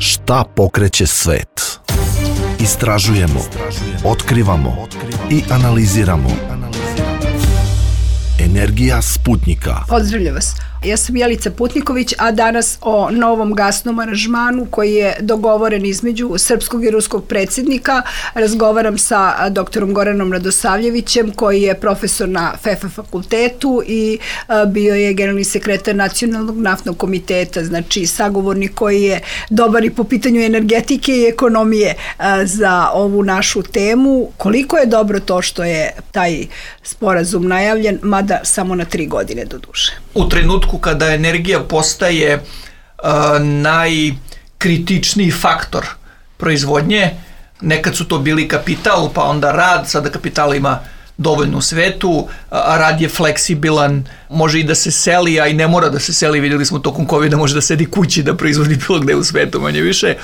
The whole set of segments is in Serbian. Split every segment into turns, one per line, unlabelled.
Šta pokreće svet? Istražujemo, otkrivamo i analiziramo. Energija Sputnika.
Pozdravljam vas. Ja sam Jelica Putniković, a danas o novom gasnom aranžmanu koji je dogovoren između srpskog i ruskog predsjednika. Razgovaram sa doktorom Goranom Radosavljevićem, koji je profesor na FEFA fakultetu i bio je generalni sekretar Nacionalnog naftnog komiteta, znači sagovornik koji je dobar i po pitanju energetike i ekonomije za ovu našu temu. Koliko je dobro to što je taj sporazum najavljen, mada samo na 3 godine do duše?
U trenutku kada energija postaje najkritičniji faktor proizvodnje, nekad su to bili kapital, pa onda rad, sada kapital ima dovoljno u svetu, a rad je fleksibilan, može i da se seli, a i ne mora da se seli, vidjeli smo tokom COVID-a, može da sedi kući da proizvodi bilo gde u svetu, manje više.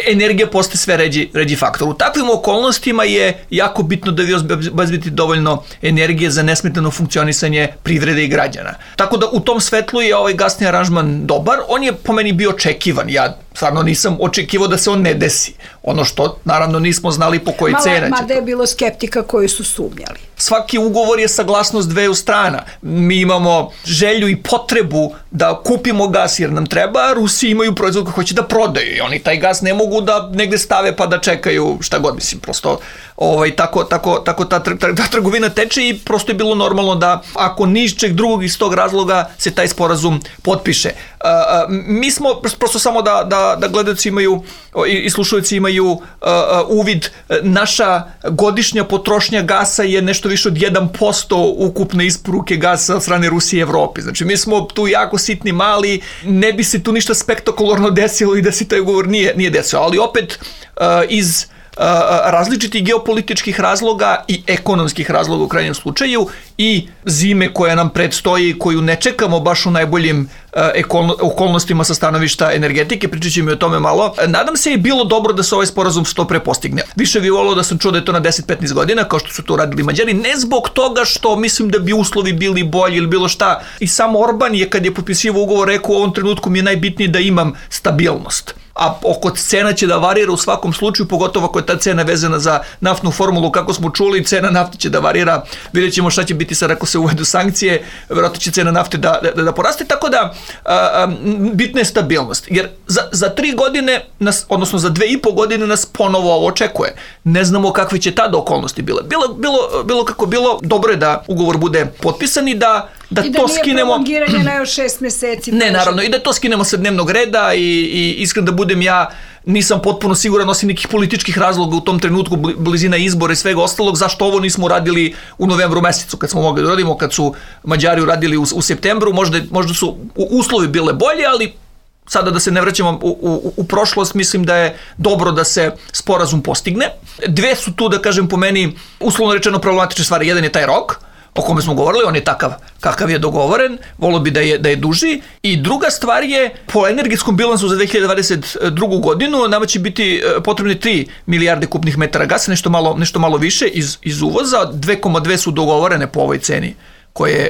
Energija postaje sve ređi faktor. U takvim okolnostima je jako bitno da vi obezbedite dovoljno energije za nesmetano funkcionisanje privrede i građana. Tako da u tom svetlu je ovaj gasni aranžman dobar, on je po meni bio očekivan, ja stvarno nisam očekivao da se on ne desi. Ono što naravno nismo znali po kojoj cena će.
Mada je bilo skeptika koji su sumnjali.
Svaki ugovor je saglasnost dveju strana. Mi imamo želju i potrebu da kupimo gas jer nam treba, a Rusi imaju proizvod koji hoće da prodaju i oni taj gas ne mogu da negde stave pa da čekaju šta god, mislim, prosto tako ta trgovina teče i prosto je bilo normalno da ako ničeg drugog iz tog razloga se taj sporazum potpiše. Mi smo, prosto samo da gledaoci imaju i slušalci imaju uvid, naša godišnja potrošnja gasa je nešto više od 1% ukupne isporuke gasa od strane Rusije i Evrope. Znači mi smo tu jako sitni, mali, ne bi se tu ništa spektakularno desilo i da se taj ugovor nije desio, ali opet iz različitih geopolitičkih razloga i ekonomskih razloga u krajnjem slučaju i zime koja nam predstoji, koju ne čekamo baš u najboljim okolnostima sa stanovišta energetike, pričat ćemo i o tome malo. Nadam se je bilo dobro da se ovaj sporazum što pre postigne. Više bi volio da sam čuo da je to na 10-15 godina, kao što su to radili Mađari, ne zbog toga što mislim da bi uslovi bili bolji ili bilo šta. I sam Orban je, kad je potpisivao ugovor, rekao u ovom trenutku mi je najbitnije da imam stabilnost. A oko cena će da varira u svakom slučaju, pogotovo ako je ta cena vezana za naftnu formulu, kako smo čuli, cena nafte će da varira, vidjet ćemo šta će biti sad ako se uvedu sankcije, vjerojatno će cena nafte da poraste, tako da bitna je stabilnost, jer za 3 godine, odnosno za 2,5 godine nas ponovo ovo očekuje. Ne znamo kakve će tada okolnosti bile. Bilo kako bilo, dobro je da ugovor bude potpisan i da to skinemo. I da nije
prolongiranje na još 6 meseci.
Ne, naravno, i da to skinemo sa dnevnog reda i iskreno da budem ja, nisam potpuno siguran, osim nekih političkih razloga u tom trenutku, blizina izbora i svega ostalog, zašto ovo nismo uradili u novembru mesecu, kad smo mogli da uradimo, kad su Mađari uradili u septembru, možda su uslovi bile bolje, ali sada da se ne vraćamo u prošlost, mislim da je dobro da se sporazum postigne. Dve su tu, da kažem, po meni, uslovno rečeno problematične stvari. Jedan je taj rok, o kome smo govorili, on je takav kakav je dogovoren, volio bi da je duži. I druga stvar je, po energetskom bilansu za 2022. godinu nama će biti potrebne 3 milijarde kubnih metara gasa, nešto malo više iz uvoza, 2,2 su dogovorene po ovoj ceni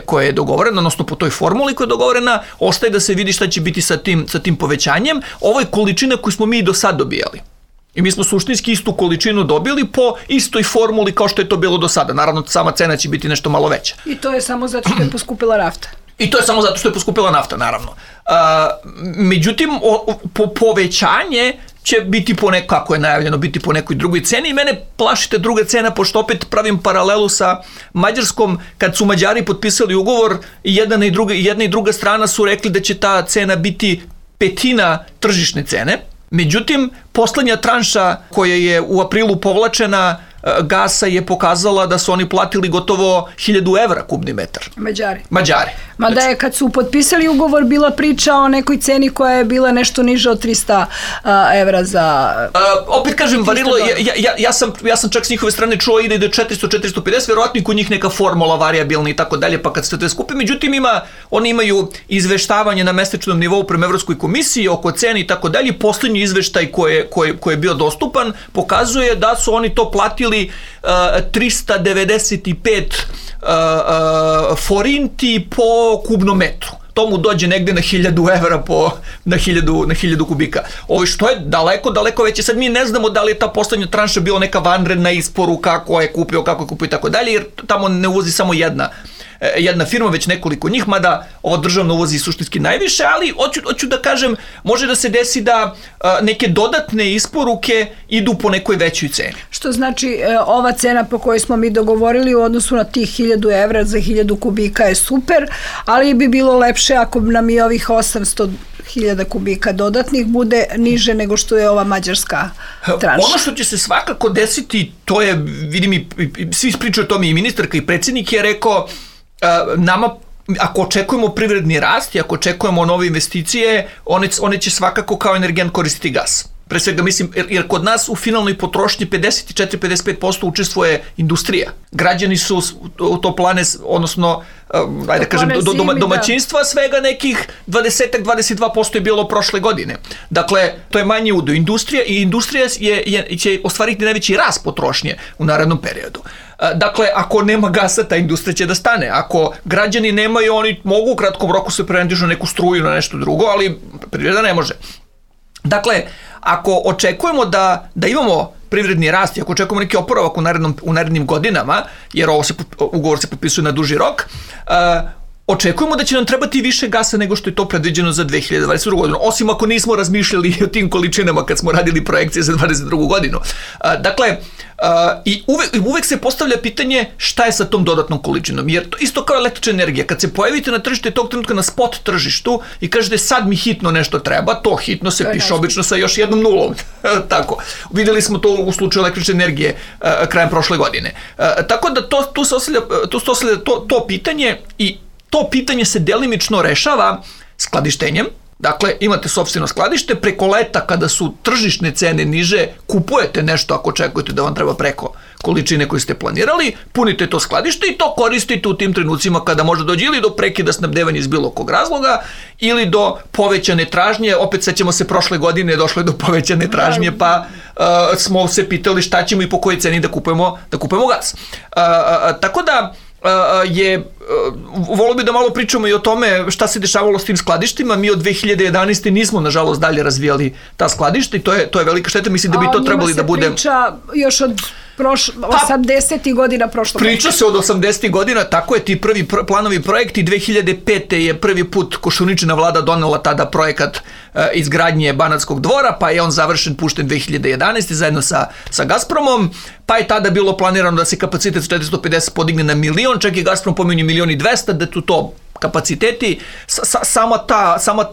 koje je dogovorena, odnosno po toj formuli koja je dogovorena, ostaje da se vidi šta će biti sa tim povećanjem. Ovo je količina koju smo mi do sad dobijali. I mi smo suštinski istu količinu dobili po istoj formuli kao što je to bilo do sada. Naravno, sama cena će biti nešto malo veća.
I to je samo zato što je poskupila nafta.
I to je samo zato što je poskupila nafta, naravno. Međutim, povećanje će biti kako je najavljeno, biti po nekoj drugoj ceni i mene plašite druga cena, pošto opet pravim paralelu sa Mađarskom, kad su Mađari potpisali ugovor i jedna i druga strana su rekli da će ta cena biti 1/5 tržišne cene. Međutim, poslednja tranša koja je u aprilu povlačena gasa je pokazala da su oni platili gotovo 1000 evra kubni metar. Mađari.
Mada je kad su potpisali ugovor bila priča o nekoj ceni koja je bila nešto niža od 300 evra za...
Opet kažem, varilo, ja sam čak s njihove strane čuo ide do 400-450, verovatno i kod njih neka formula varijabilna i tako dalje, pa kad se to skupi. Međutim, oni imaju izveštavanje na mesečnom nivou prema Evropskoj komisiji oko cene i tako dalje. Poslednji izveštaj koji je bio dostupan pokazuje da su oni to platili 395 forinti po kubnom metru. to mu dođe negde na 1000 evra na 1000 kubika. Ovo što je daleko veće. Sad mi ne znamo da li je ta poslednja tranša bila neka vanredna isporuka, ko je kupio, kako je kupio i tako dalje, jer tamo ne uvozi samo jedna firma, već nekoliko njih, mada ova državna uvozi suštinski najviše, ali hoću da kažem, može da se desi da neke dodatne isporuke idu po nekoj većoj ceni.
Što znači, ova cena po kojoj smo mi dogovorili u odnosu na tih 1000 evra za 1000 kubika je super, ali bi bilo lepše ako nam i ovih 800.000 kubika dodatnih bude niže nego što je ova mađarska tranša.
Ono što će se svakako desiti, to je, vidim i svi pričaju o tome, i ministarka i predsjednik je rekao, nama, ako očekujemo privredni rast i ako očekujemo nove investicije, one će svakako kao energent koristiti gas. Pre svega mislim, jer kod nas u finalnoj potrošnji 54-55% učestvuje industrija. Građani su u toplane, odnosno, ajde kažem, domaćinstva, svega nekih 20-22% je bilo prošle godine. Dakle, to je manji udio. Industrija će ostvariti najveći rast potrošnje u narednom periodu. Dakle, ako nema gasa, ta industrija će da stane. Ako građani nemaju, oni mogu u kratkom roku se prevendižu na neku struju, na nešto drugo, ali privreda ne može. Dakle, ako očekujemo da imamo privredni rast i ako očekujemo neki oporavak u narednim godinama, jer ugovor se potpisuje na duži rok, očekujemo da će nam trebati više gasa nego što je to predviđeno za 2022. godinu, osim ako nismo razmišljali o tim količinama kad smo radili projekcije za 2022. godinu. Dakle, i uvek se postavlja pitanje šta je sa tom dodatnom količinom, jer to isto kao električna energija, kad se pojavite na tržište tog trenutka na spot tržištu i kažete sad mi hitno nešto treba, to hitno se piše obično sa još jednom nulom. Tako. Videli smo to u slučaju električne energije krajem prošle godine. Tako da tu se ostavlja to pitanje i to pitanje se delimično rešava skladištenjem. Dakle, imate sopstveno skladište, preko leta kada su tržišne cene niže, kupujete nešto ako očekujete da vam treba preko količine koje ste planirali, punite to skladište i to koristite u tim trenucima kada može doći ili do prekida snabdevanja iz bilo kog razloga ili do povećane tražnje. Opet sećamo se prošle godine došlo je do povećane tražnje, pa smo se pitali šta ćemo i po kojoj ceni da kupujemo gas. Tako da volio bi da malo pričamo i o tome šta se dešavalo s tim skladištima. Mi od 2011. nismo, nažalost, dalje razvijali ta skladišta i to je velika šteta. Mislim da bi to trebali da bude...
A o njima se priča još od 80. godina prošlog veka.
Priča se od 80. godina, tako je, ti prvi planovi projekti. 2005. je prvi put Koštuničina vlada donela tada projekat izgradnje Banatskog dvora, pa je on završen, pušten 2011. zajedno sa Gazpromom, pa je tada bilo planirano da se kapacitet 450 podigne na 1.000.000, čak i Gazprom pominje 1.200.000, da tu to kapaciteti, sama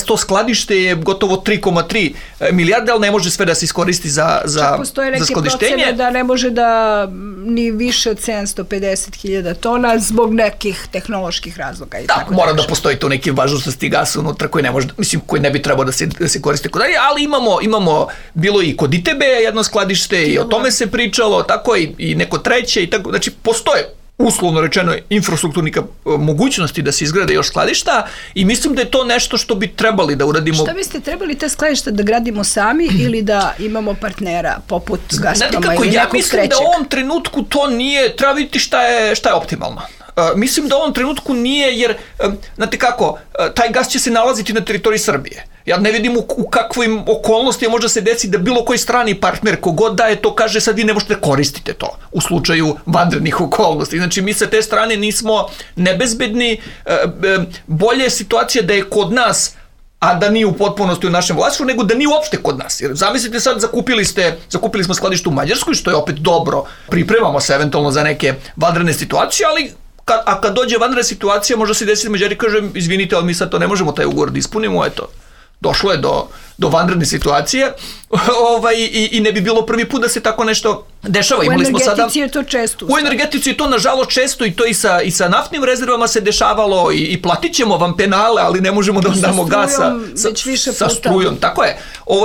to skladište je gotovo 3,3 milijarde, ali ne može sve da se iskoristi za skladištenje.
Postoje neke procene da ne može da ni više od 750.000 tona zbog nekih tehnoloških razloga.
Mora da postoji to neki važnosti gasa unutra koji ne može, mislim, koji ne bi trebao da se koriste kod dalje, ali imamo bilo i kod ITB jedno skladište i o tome se pričalo, tako i neko treće i tako, znači postoje uslovno rečeno infrastrukturnih mogućnosti da se izgrade još skladišta i mislim da je to nešto što bi trebali da uradimo.
Šta biste trebali te skladišta da gradimo sami ili da imamo partnera poput Gazproma ili nekog trećeg?
Ja mislim da u ovom trenutku to nije, treba vidjeti šta je optimalno. Mislim da u ovom trenutku nije, jer, znate kako, taj gas će se nalaziti na teritoriji Srbije. Ja ne vidim u kakvim okolnostima može se desiti da bilo koji strani partner, kogod da je to, kaže sad vi ne možete koristiti to u slučaju vanrednih okolnosti. Znači mi sa te strane nismo nebezbedni, bolje je situacija da je kod nas, a da nije u potpunosti u našem vlasništvu, nego da nije uopšte kod nas. Jer zamislite sad, zakupili smo skladište u Mađarskoj, što je opet dobro, pripremamo se eventualno za neke vanredne situacije, ali kad dođe vanredna situacija, možda se desiti Mađari kaže, izvinite, ali mi sad to ne možemo taj ugovor da ispunimo, eto. Došlo je do vanredne situacije i ne bi bilo prvi put da se tako nešto dešava.
U energetici je to često.
U energetici je to nažalost često i to i sa naftnim rezervama se dešavalo i platit ćemo vam penale, ali ne možemo da vam damo gasa sa strujom. Tako je.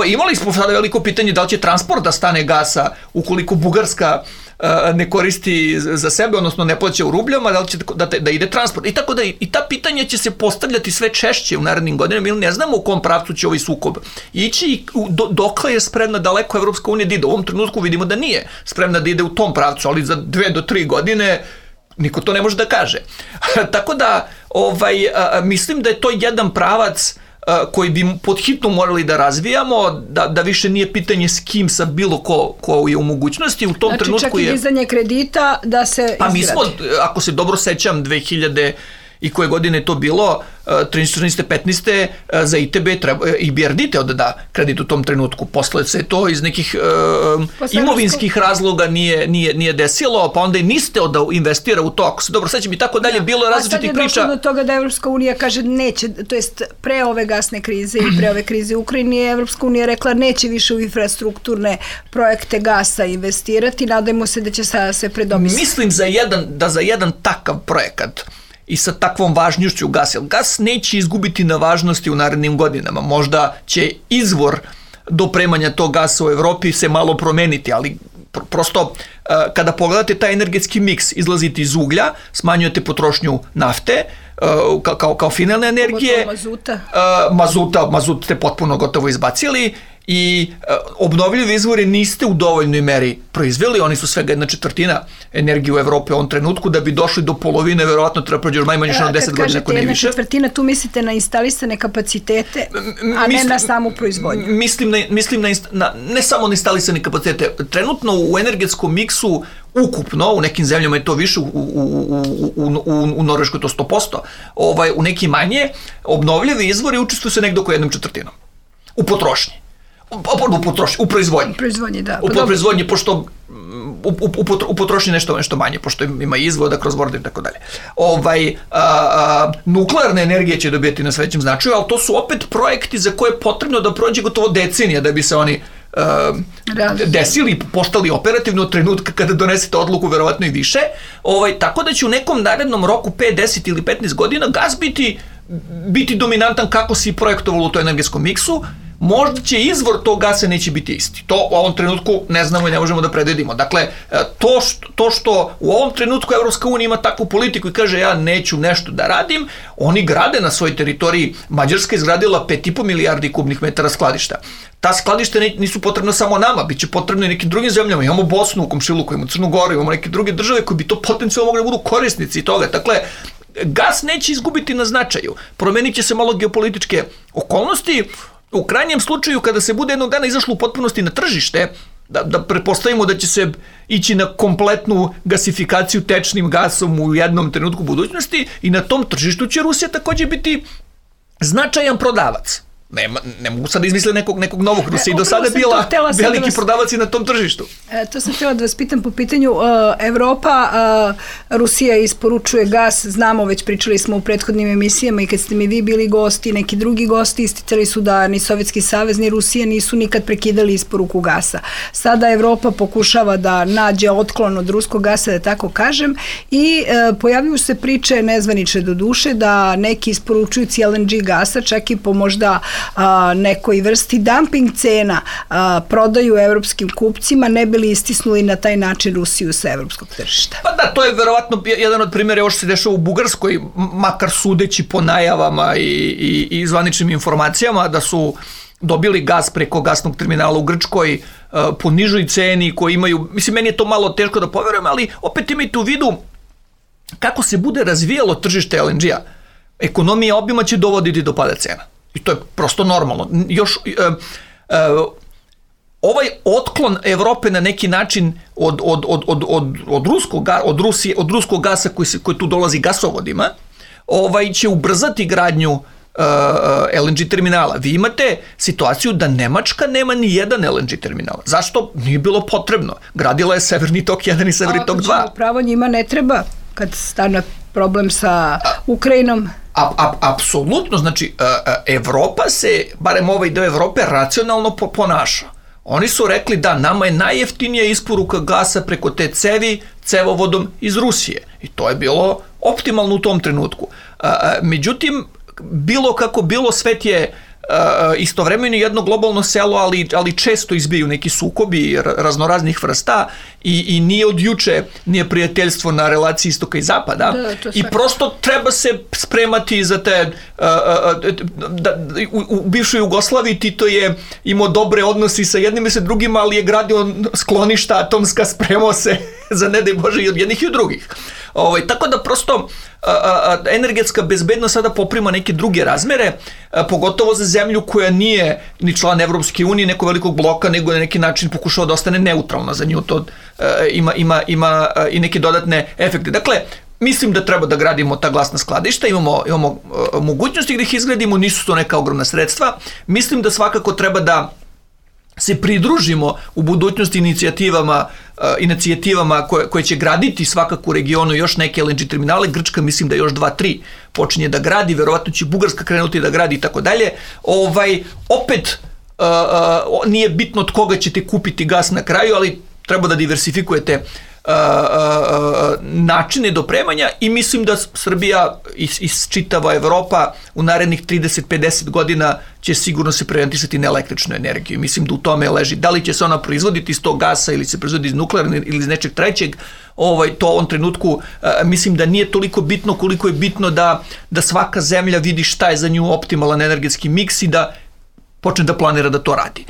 Imali smo sada veliko pitanje da li će transport da stane gasa ukoliko Bugarska ne koristi za sebe, odnosno ne plaća u rubljama, da li će da ide transport. I tako da i ta pitanja će se postavljati sve češće u narednim godinama, ili ne znamo u kom pravcu će ovaj sukob ići i dokle je spremna daleko Evropska unija da ide. U ovom trenutku vidimo da nije spremna da ide u tom pravcu, ali za 2 do 3 godine Niko to ne može da kaže. Tako da mislim da je to jedan pravac koji bi pod hitno morali da razvijamo, da više nije pitanje s kim, sa bilo ko je u mogućnosti. U tom trenutku
čak i dizanje kredita da se izgradi.
Pa mi smo, ako se dobro sećam, 2000 i koje godine je to bilo, 13. 15. za ITB i BRD teo da da kredit u tom trenutku. Posle se to iz nekih imovinskih razloga nije desilo, pa onda i niste da investira u to, ako se dobro sećam i tako dalje, bilo je različitih priča. A sad je
došlo do toga da Evropska unija kaže neće, to jest pre ove gasne krize i pre ove krize u Ukrajini, Evropska unija rekla neće više u infrastrukturne projekte gasa investirati, nadajmo se da će se predomisliti.
Mislim da za jedan takav projekat i sa takvom važnošću gasa. Gas neće izgubiti na važnosti u narednim godinama. Možda će izvor dopremanja tog gasa u Evropi se malo promeniti, ali prosto kada pogledate taj energetski miks, izlazite iz uglja, smanjujete potrošnju nafte kao finalne energije. Mazut ste potpuno gotovo izbacili i obnovljive izvore niste u dovoljnoj meri proizveli, oni su svega 1/4 energije u Evropi u ovom trenutku, da bi došli do polovine, verovatno treba prođe još manje 10 godina, ako ne više.
Kad kažete 1/4, tu mislite na instalisane kapacitete, a ne na samu proizvodnju?
Mislim na ne samo na instalisane kapacitete. Trenutno u energetskom miksu ukupno, u nekim zemljama je to više, u Norveškoj to 100%, u nekim manje, obnovljive izvori učestvuju se nekdo oko 1/4 u potrošnji. U proizvodnji. U proizvodnji, pošto u potrošnji nešto manje, pošto ima izvoda kroz vode i tako dalje. Nuklearna energija će dobijeti na svećem značaju, ali to su opet projekti za koje je potrebno da prođe gotovo decenija da bi se oni desili i postali operativno od trenutka kada donesete odluku, verovatno i više. Tako da će u nekom narednom roku 5, 10 ili 15 godina gas biti dominantan kako se i projektovalo u to energetskom miksu. Možda će izvor tog gasa neće biti isti. To u ovom trenutku ne znamo i ne možemo da predvidimo. Dakle, to što u ovom trenutku Evropska unija ima takvu politiku i kaže ja neću nešto da radim, oni grade na svojoj teritoriji. Mađarska je izgradila 5,5 milijardi kubnih metara skladišta. Ta skladišta nisu potrebna samo nama, bit će potrebno i nekim drugim zemljama. Imamo Bosnu u komšiluku, imamo Crnu Goru, imamo neke druge države koji bi to potencijalno mogli da budu korisnici toga. Dakle, gas neće izgubiti na značaju. Promenit će se malo geopolitičke okolnosti. U krajnjem slučaju, kada se bude jednog dana izašlo u potpunosti na tržište, da pretpostavimo da će se ići na kompletnu gasifikaciju tečnim gasom u jednom trenutku budućnosti i na tom tržištu će Rusija također biti značajan prodavac. Ne mogu sad izmisliti nekog novog. Rusija i do sada bila veliki prodavac i na tom tržištu.
To sam htjela da vas pitam po pitanju Evropa. Rusija isporučuje gas, znamo, već pričali smo u prethodnim emisijama i kad ste mi vi bili gosti, neki drugi gosti isticali su da ni Sovjetski savez ni Rusija nisu nikad prekidali isporuku gasa. Sada Evropa pokušava da nađe otklon od ruskog gasa, da tako kažem, i pojavljuju se priče, nezvanične do duše, da neki isporučujući LNG gasa, čak i po možda nekoj vrsti dumping cena prodaju evropskim kupcima, ne bi li istisnuli na taj način Rusiju sa evropskog tržišta.
Pa da, to je verovatno jedan od primjera, još se dešava u Bugarskoj, makar sudeći po najavama i zvaničnim informacijama, da su dobili gas preko gasnog terminala u Grčkoj po nižoj ceni koji imaju, mislim, meni je to malo teško da poverujem, ali opet imajte u vidu kako se bude razvijalo tržište LNG-a. Ekonomija obima će dovoditi do pada cena. I to je prosto normalno. Još ovaj otklon Evrope na neki način od ruskog gasa koji tu dolazi gasovodima, će ubrzati gradnju LNG terminala. Vi imate situaciju da Nemačka nema ni jedan LNG terminal. Zašto? Nije bilo potrebno. Gradila je Severni tok 1 i Severni tok 2.
Pravo njima ne treba kad stane problem sa Ukrajinom.
Apsolutno, znači Evropa se, barem ovaj deo Evrope, racionalno ponaša. Oni su rekli da nama je najjeftinija isporuka gasa preko te cevi cevovodom iz Rusije. I to je bilo optimalno u tom trenutku. Međutim, bilo kako bilo, svet je istovremeno jedno globalno selo, ali često izbiju neki sukobi raznoraznih vrsta i nije od juče nije prijateljstvo na relaciji istoka i zapada i prosto treba se spremati za te u bivšoj Jugoslaviji Tito je imao dobre odnosi sa jednim i sa drugim, ali je gradio skloništa atomska, spremao se za ne daj Bože i od jednih i od drugih. Tako da prosto energetska bezbednost sada poprima neke druge razmere, pogotovo za zemlju koja nije ni član Evropske unije, nekog velikog bloka, nego na neki način pokušava da ostane neutralna za nju. To ima i neke dodatne efekte. Dakle, mislim da treba da gradimo ta gasna skladišta, imamo mogućnosti da ih izgradimo, nisu to neka ogromna sredstva. Mislim da svakako treba da se pridružimo u budućnosti inicijativama koje će graditi svakako u regionu još neke LNG terminale. Grčka mislim da još 2-3 počinje da gradi, verovatno će Bugarska krenuti da gradi i tako dalje. Opet nije bitno od koga ćete kupiti gas na kraju, ali treba da diversifikujete načine dopremanja i mislim da Srbija i čitava Evropa u narednih 30-50 godina će sigurno se preorijentisati na električnu energiju. Mislim da u tome leži. Da li će se ona proizvoditi iz tog gasa ili se proizvodi iz nuklearne ili iz nečeg trećeg, to u ovom trenutku mislim da nije toliko bitno koliko je bitno da svaka zemlja vidi šta je za nju optimalan energetski miks i da počne da planira da to radi.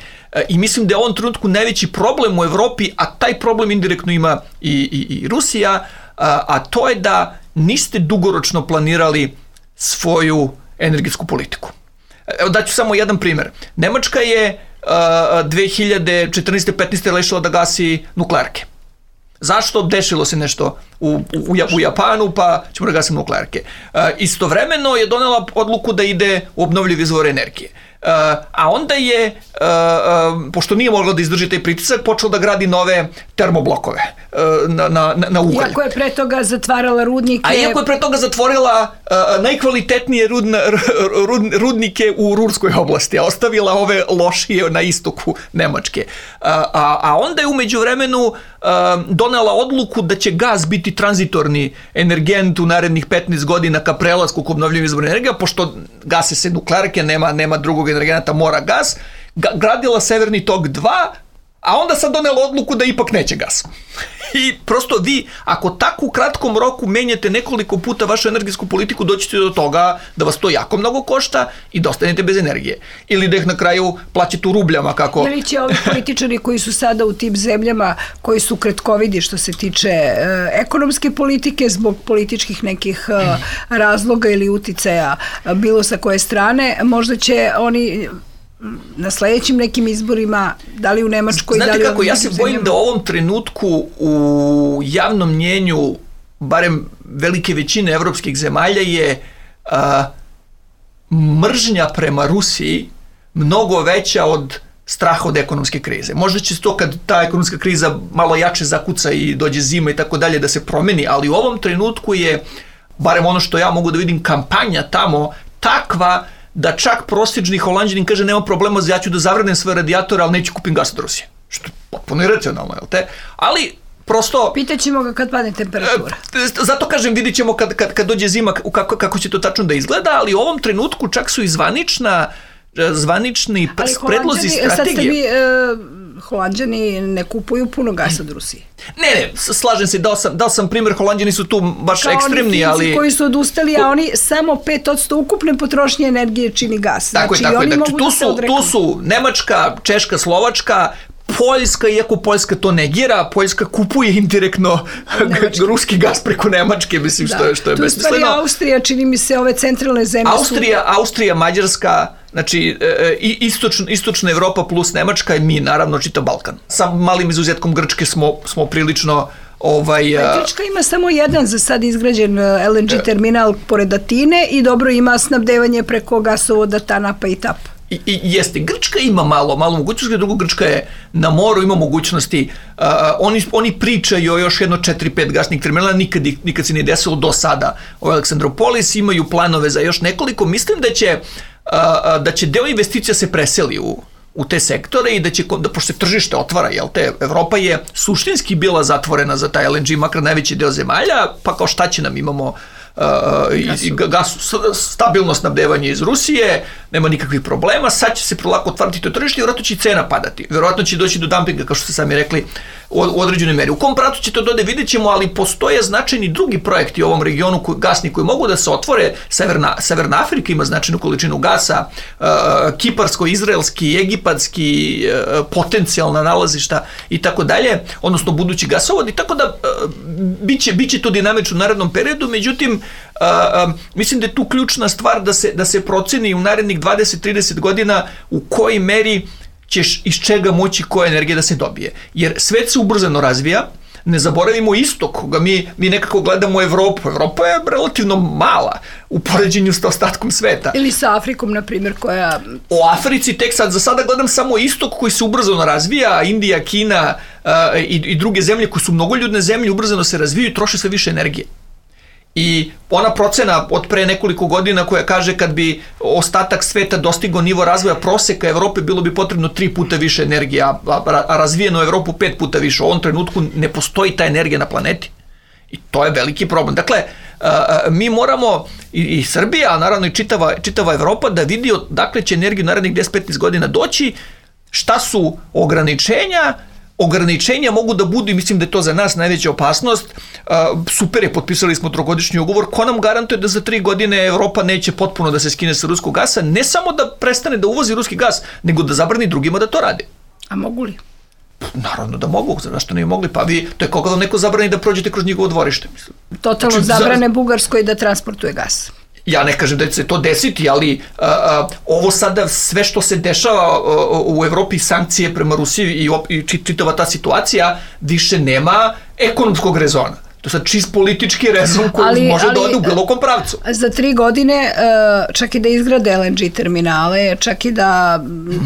I mislim da je u ovom trenutku najveći problem u Evropi, a taj problem indirektno ima i Rusija, a to je da niste dugoročno planirali svoju energetsku politiku. Evo daću samo jedan primer. Nemačka je 2014-15. rešila da gasi nuklearke. Zašto? Dešilo se nešto u Japanu, pa ćemo da gasimo nuklearke. Istovremeno je donela odluku da ide u obnovljive izvore energije. A onda je, pošto nije mogla da izdrži taj pritisak, počela da gradi nove termoblokove na ugalj.
Iako je pre toga zatvarala rudnike.
A iako je pre toga zatvorila najkvalitetnije rudnike u Ruhrskoj oblasti, a ostavila ove lošije na istoku Nemačke. A onda je u međuvremenu donela odluku da će gas biti tranzitorni energent u narednih 15 godina ka prelasku k obnovljivim izvorima energija, pošto gase se nuklearke, nema drugog energenata, mora gas, gradila Severni tok 2, a onda sad donela odluku da ipak neće gas. I prosto vi, ako tako u kratkom roku menjate nekoliko puta vašu energetsku politiku, doćete do toga da vas to jako mnogo košta i da ostanete bez energije. Ili da ih na kraju plaćate u rubljama. Kako...
Ili će ovi političari koji su sada u tim zemljama, koji su kratkovidi što se tiče ekonomske politike, zbog političkih nekih razloga ili uticaja bilo sa koje strane, možda će oni na sledećim nekim izborima, da li u Nemačkoj,
znate
da li
kako, ja se bojim da u ovom trenutku u javnom mnjenju, barem velike većine evropskih zemalja, je mržnja prema Rusiji mnogo veća od straha od ekonomske krize. Možda će to kad ta ekonomska kriza malo jače zakuca i dođe zima i tako dalje da se promeni, ali u ovom trenutku je, barem ono što ja mogu da vidim, kampanja tamo takva da čak prosječni Holanđanin kaže nema problema, ja ću da zavrnem svoje radijatore, ali neću kupim gas od Rusije. Što je potpuno iracionalno, jel te? Ali prosto...
Pitaćemo ga kad padne temperatura.
Zato kažem, vidit ćemo kad dođe zima kako će to tačno da izgleda, ali u ovom trenutku čak su i zvanični predlozi strategije. Sad ste mi...
Holanđani ne kupuju puno gasa od Rusije.
Ne, slažem se, dao sam primjer, Holanđani su tu baš
kao
ekstremni,
ali...
Kao
oni Finci koji su odustali, a oni samo 5% ukupne potrošnje energije čini gas.
Tako je. Tu su Nemačka, Češka, Slovačka, Poljska, iako Poljska to negira, Poljska kupuje indirektno ruski gas preko Nemačke, mislim, što je besmisleno. Tu stvari
Austrija, čini mi se, ove centralne zemlje
Austrija, Mađarska, znači istočna Evropa plus Nemačka i mi, naravno, čitav Balkan. Sa malim izuzetkom Grčke smo prilično...
Grčka ima samo jedan za sad izgrađen LNG terminal pored Atine i dobro ima snabdevanje preko gasovoda Tanapa i Tap.
I jeste, Grčka ima malo mogućnosti, drugo Grčka je na moru, ima mogućnosti, oni pričaju o još jedno 4-5 gasnih terminala, nikad se nije desilo do sada u Aleksandropolis, imaju planove za još nekoliko, mislim da će deo investicija se preseli u te sektore i da pošto se tržište otvara, jel te, Evropa je suštinski bila zatvorena za taj LNG, makar najveći deo zemalja, pa kao šta će nam, imamo i stabilno snabdevanje iz Rusije, nema nikakvih problema, sad će se polako otvarati to tržište i vjerojatno će cena padati. Vjerojatno će doći do dumpinga, kao što ste sami rekli, u određenoj meri. U kom pravcu će to dode, vidjet ćemo, ali postoje značajni drugi projekti u ovom regionu gasni koji mogu da se otvore. Severna Afrika ima značajnu količinu gasa, kiparsko-izraelski, egipatski, potencijalna nalazišta i tako dalje, odnosno budući gasovod, i tako da biće to dinamično u narednom periodu, međutim, mislim da je tu ključna stvar da se proceni u narednih 20-30 godina u kojoj meri ćeš iz čega moći koja energija da se dobije. Jer svet se ubrzano razvija, ne zaboravimo istok, koga mi nekako gledamo Evropu. Evropa je relativno mala u poređenju s ostatkom sveta.
Ili sa Afrikom, na primjer, koja...
O Africi tek za sada gledam samo istok koji se ubrzano razvija, Indija, Kina i druge zemlje koje su mnogoljudne zemlje ubrzano se razvijaju i troše sve više energije. I ona procena od pre nekoliko godina koja kaže kad bi ostatak sveta dostigao nivo razvoja proseka Evrope, bilo bi potrebno 3 puta više energije, a razvijenu Evropu 5 puta više. U ovom trenutku ne postoji ta energija na planeti. I to je veliki problem. Dakle, mi moramo, i Srbija, a naravno i čitava Evropa, da vidi odakle će energiju narednih 10-15 godina doći, šta su ograničenja mogu da budu, i mislim da je to za nas najveća opasnost. Super je, potpisali smo 3-godišnji ugovor, ko nam garantuje da za 3 godine Evropa neće potpuno da se skine sa ruskog gasa, ne samo da prestane da uvozi ruski gas, nego da zabrani drugima da to rade.
A mogu li?
Naravno da mogu, zašto ne bi mogli? Pa vi, to je kao da neko zabrani da prođete kroz njegovo dvorište.
Totalno zabrane Bugarskoj da transportuje gas.
Ja ne kažem da će se to desiti, ali ovo sada sve što se dešava u Evropi, sankcije prema Rusiji i čitava ta situacija, više nema ekonomskog rezona. To je sad čist politički rezon koji može da ode u bilo kom pravcu.
Za 3 godine, čak i da izgrade LNG terminale, čak i da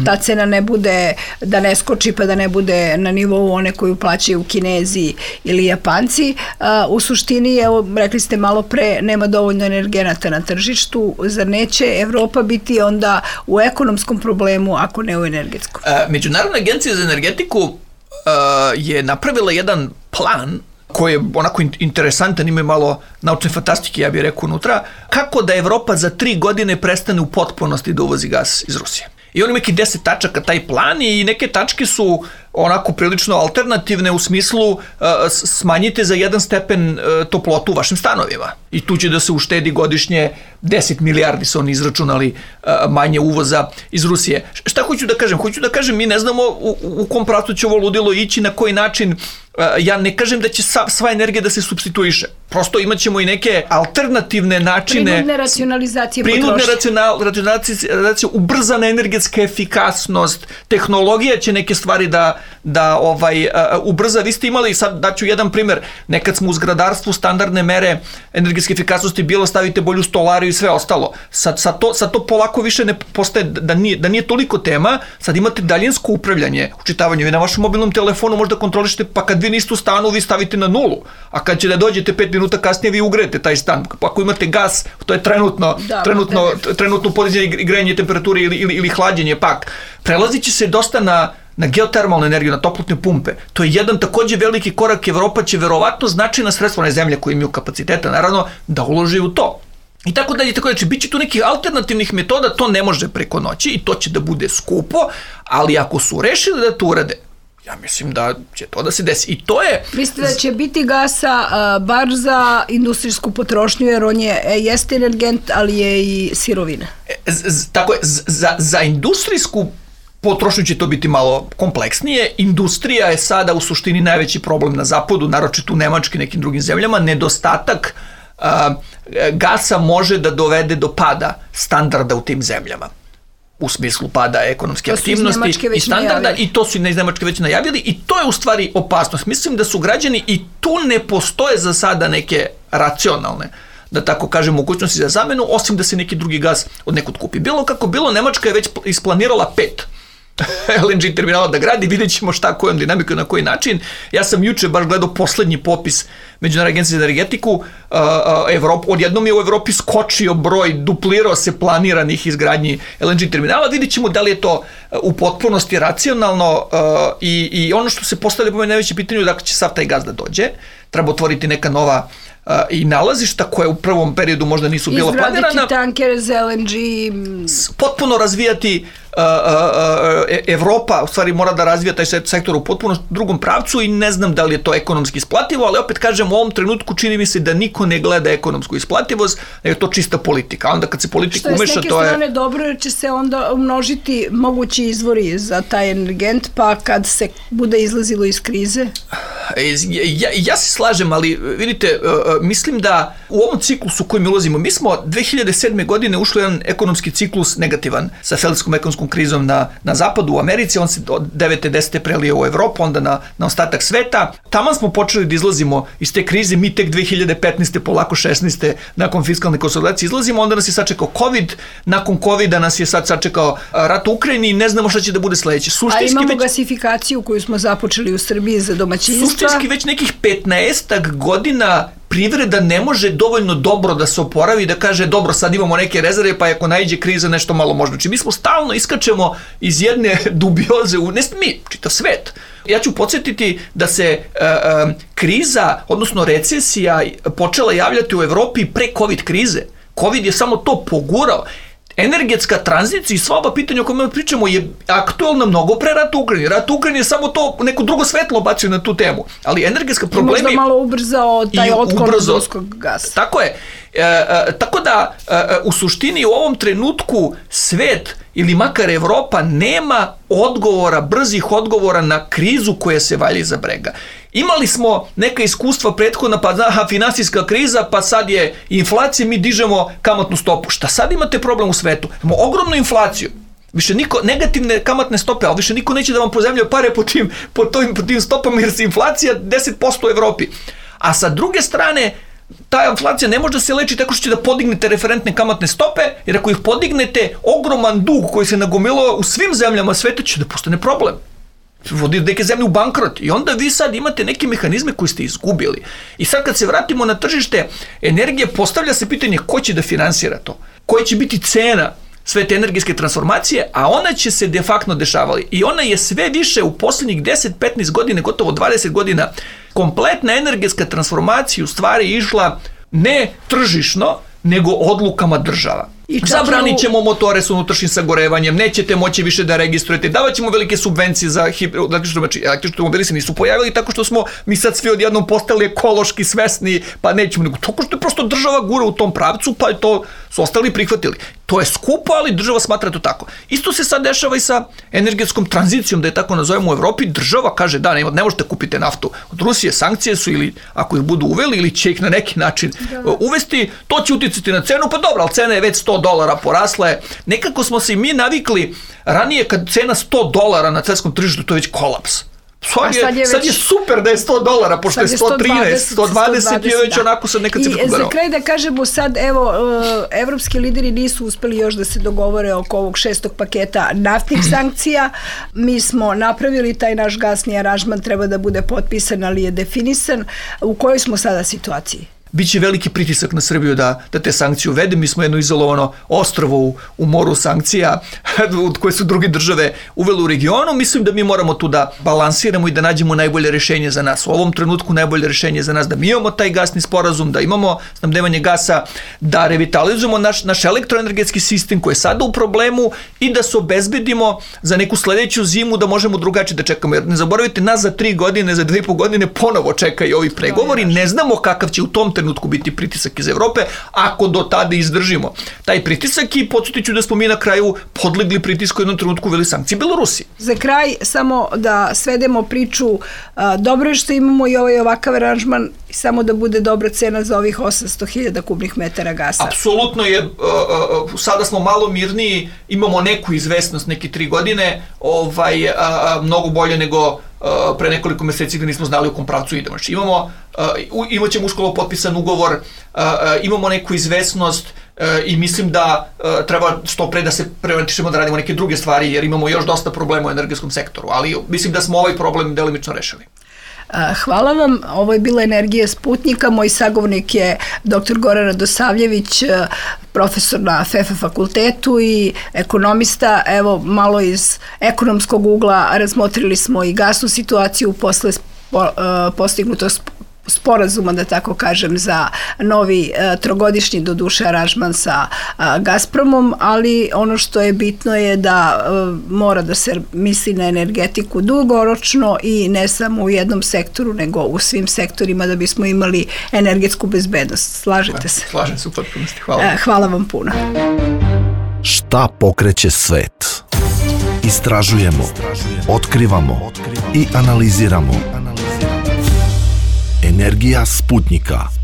ta cena ne bude, da ne skoči pa da ne bude na nivou one koju plaćaju Kinezi ili Japanci, u suštini, evo, rekli ste malo pre, nema dovoljno energenata na tržištu, zar neće Evropa biti onda u ekonomskom problemu, ako ne u energetskom?
Međunarodna agencija za energetiku je napravila jedan plan koji je onako interesantan, ima malo naučne fantastike, ja bih rekao, unutra, kako da Evropa za 3 godine prestane u potpunosti da uvozi gas iz Rusije. I on ima neki 10 tačaka taj plan i neke tačke su onako prilično alternativne u smislu smanjite za 1 stepen toplotu u vašim stanovima. I tu će da se uštedi godišnje 10 milijardi su oni izračunali manje uvoza iz Rusije. Šta hoću da kažem? Hoću da kažem, mi ne znamo u kom pravcu će ovo ludilo ići, na koji način. Ja ne kažem da će sva energija da se supstituiše. Prosto imat ćemo i neke alternativne načine.
Prinudne racionalizacije potrošnje.
Prinudne racionalizacije, ubrzana energetska efikasnost, tehnologija će neke stvari da ubrza. Vi ste imali, sad daću jedan primer, nekad smo u zgradarstvu standardne mere energetske efikasnosti bilo stavite bolju stolariju i sve ostalo. Sad to polako više ne postaje, da nije toliko tema, sad imate daljinsko upravljanje, učitavanje. Vi na vašem mobilnom telefonu možda kontrolišete, pa kad vi niste u stanu, vi stavite na 0, a kad će da dođete 5 minuta kasnije, vi ugrejete taj stan. Pa ako imate gas, to je trenutno podizanje i grejanje temperature ili hlađenje pak. Prelazit će se dosta na geotermalnu energiju, na toplotne pumpe. To je jedan također veliki korak. Evropa će verovatno značajna sredstva, one zemlje koje imaju kapaciteta, naravno, da uloži u to. I tako dalje, tako dalje. Biće tu nekih alternativnih metoda, to ne može preko noći i to će da bude skupo, ali ako su rešili da to urade, ja mislim da će to da se desi. I to je...
Mislite da će biti gasa bar za industrijsku potrošnju, jer on jeste energent, ali je i sirovina.
Tako je, za industrijsku potrošnju će to biti malo kompleksnije. Industrija je sada u suštini najveći problem na zapadu, naročito u Nemačkoj i nekim drugim zemljama. Nedostatak gasa može da dovede do pada standarda u tim zemljama. U smislu pada ekonomske aktivnosti i standarda, i to su iz Nemačke već najavili, i to je u stvari opasnost. Mislim da su građani, i tu ne postoje za sada neke racionalne, da tako kažem, mogućnosti za zamenu, osim da se neki drugi gas od nekud kupi. Bilo kako bilo, Nemačka je već isplanirala 5 LNG terminala da gradi, vidjet ćemo šta, kojom dinamikom, na koji način. Ja sam juče baš gledao poslednji popis Međunarodne agencije za energetiku. Odjednom je u Evropi skočio broj, duplirao se planiranih izgradnji LNG terminala. Vidjet ćemo da li je to u potpunosti racionalno i ono što se postavlja po meni najveće pitanje, dakle će sav taj gas da dođe. Treba otvoriti neka nova i nalazišta koje u prvom periodu možda nisu bila planirana.
Izgraditi tankere za LNG.
Potpuno razvijati Evropa, u stvari mora da razvija taj sektor u potpuno drugom pravcu i ne znam da li je to ekonomski isplativo, ali opet kažem, u ovom trenutku čini mi se da niko ne gleda ekonomsku isplativost, nego je to čista politika. Onda kad se politika umeša, to je...
Što je s neke strane dobro, jer će se onda umnožiti mogući izvori za taj energent, pa kad se bude izlazilo iz krize?
Ja se slažem, ali vidite, mislim da u ovom ciklusu u kojem ulazimo, mi smo 2007. godine ušli u jedan ekonomski ciklus negativan sa Feldskom ekonomskom krizom na zapadu, u Americi, on se od 9. 10. prelio u Evropu, onda na ostatak sveta. Taman smo počeli da izlazimo iz te krize, mi tek 2015. polako 16. nakon fiskalne konsolidacije izlazimo, onda nas je sačekao COVID, nakon COVID-a nas je sad sačekao rat u Ukrajini i ne znamo šta će da bude sledeće.
A imamo gasifikaciju koju smo započeli u Srbiji za domaćinstva.
Suštinski već nekih 15 godina privreda ne može dovoljno dobro da se oporavi i da kaže dobro, sad imamo neke rezerve, pa ako naiđe kriza nešto malo možda. Znači mi smo stalno iskačemo iz jedne dubioze, ne mi, čitav svet. Ja ću podsjetiti da se kriza, odnosno recesija počela javljati u Evropi pre COVID krize. COVID je samo to pogurao. Energetska tranzicija i sva ova pitanja o kojima pričamo je aktualna mnogo pre rata u Ukrajini. Rat u Ukrajini je samo to neko drugo svetlo bacio na tu temu. Ali energetska problemi...
I možda malo ubrzao taj otklon od ruskog gasa.
Tako je. Tako da u suštini u ovom trenutku svet ili makar Evropa nema odgovora, brzih odgovora na krizu koja se valja iza brega. Imali smo neka iskustva prethodna, pa finansijska kriza, pa sad je inflacija, mi dižemo kamatnu stopu. Šta sad imate problem u svetu? Imamo ogromnu inflaciju. Više niko, negativne kamatne stope, ali više niko neće da vam pozajmljuje pare po tim stopama jer se inflacija 10% u Evropi. A sa druge strane, ta inflacija ne može da se leči tako što će da podignete referentne kamatne stope, jer ako ih podignete, ogroman dug koji se nagomilao u svim zemljama sveta će da postane problem. Vodi neke zemlje u bankrot i onda vi sad imate neke mehanizme koje ste izgubili. I sad kad se vratimo na tržište energije, postavlja se pitanje ko će da finansira to, koja će biti cena sve te energetske transformacije, a ona će se de facto dešavali. I ona je sve više u posljednjih 10-15 godina, gotovo 20 godina, kompletna energetska transformacija u stvari išla ne tržišno, nego odlukama država. Zabranit ćemo motore s unutrašnjim sagorevanjem, nećete moći više da registrujete, davat ćemo velike subvencije za električni automobili se nisu pojavili tako što smo mi sad svi odjednom postali ekološki svesni, pa nećemo, nego tako što je prosto država gura u tom pravcu, pa je to su ostali prihvatili. To je skupo, ali država smatra to tako. Isto se sad dešava i sa energetskom tranzicijom, da je tako nazovemo u Evropi, država kaže da, ne možete kupiti naftu od Rusije, sankcije su ili ako ih budu uveli ili će ih na neki način uvesti, to će uticati na cenu, pa dobro, ali cena je već $100 porasla je. Nekako smo se i mi navikli ranije kad cena $100 na svetskom tržištu, to je već kolaps. Sad je super da je $100, pošto je 113, 120 je već onako sad neka cifra
kugarao. I za kraj da kažemo sad, evo, evropski lideri nisu uspeli još da se dogovore oko ovog 6. paketa naftnih sankcija. Mi smo napravili taj naš gasni aranžman, treba da bude potpisan, ali je definisan. U kojoj smo sada situaciji?
Biće veliki pritisak na Srbiju da te sankcije uvede. Mi smo jedno izolovano ostrvo u moru sankcija koje su druge države uvele u regionu. Mislim da mi moramo tu da balansiramo i da nađemo najbolje rešenje za nas. U ovom trenutku najbolje rešenje za nas da mi imamo taj gasni sporazum, da imamo snabdevanje gasa, da revitalizujemo naš elektroenergetski sistem koji je sada u problemu i da se obezbedimo za neku sledeću zimu da možemo drugačije da čekamo. Jer ne zaboravite, nas za 3 godine, za 2,5 godine ponovo čekaju ovi pregovori. Ne znamo kakav će u tom trenutku biti pritisak iz Evrope, ako do tada izdržimo taj pritisak i podsjetit ću da smo mi na kraju podlegli pritisku u jednom trenutku uveli sankcije Belorusiji.
Za kraj, samo da svedemo priču, dobro je što imamo i ovakav aranžman, samo da bude dobra cena za ovih 800.000 kubnih metara gasa.
Apsolutno je, sada smo malo mirniji, imamo neku izvesnost, neke 3 godine, mnogo bolje nego pre nekoliko meseci gde nismo znali u kom pravcu idemo. Znači imat ćemo uskoro potpisan ugovor, imamo neku izvesnost i mislim da treba što pre da se preorientišemo da radimo neke druge stvari jer imamo još dosta problema u energetskom sektoru, ali mislim da smo ovaj problem delimično rešili.
Hvala vam, ovo je bila Energija Sputnika, moj sagovornik je dr. Goran Radosavljević, profesor na FEFA fakultetu i ekonomista. Evo, malo iz ekonomskog ugla razmotrili smo i gasnu situaciju posle postignutog sporazuma, da tako kažem, za novi trogodišnji doduše aranžman sa Gazpromom, ali ono što je bitno je da mora da se misli na energetiku dugoročno i ne samo u jednom sektoru, nego u svim sektorima da bismo imali energetsku bezbednost. Slažete se?
Slažem se u potpunosti. Hvala.
Hvala vam puno.
Šta pokreće svet? Istražujemo, otkrivamo i analiziramo. Energija Sputnika.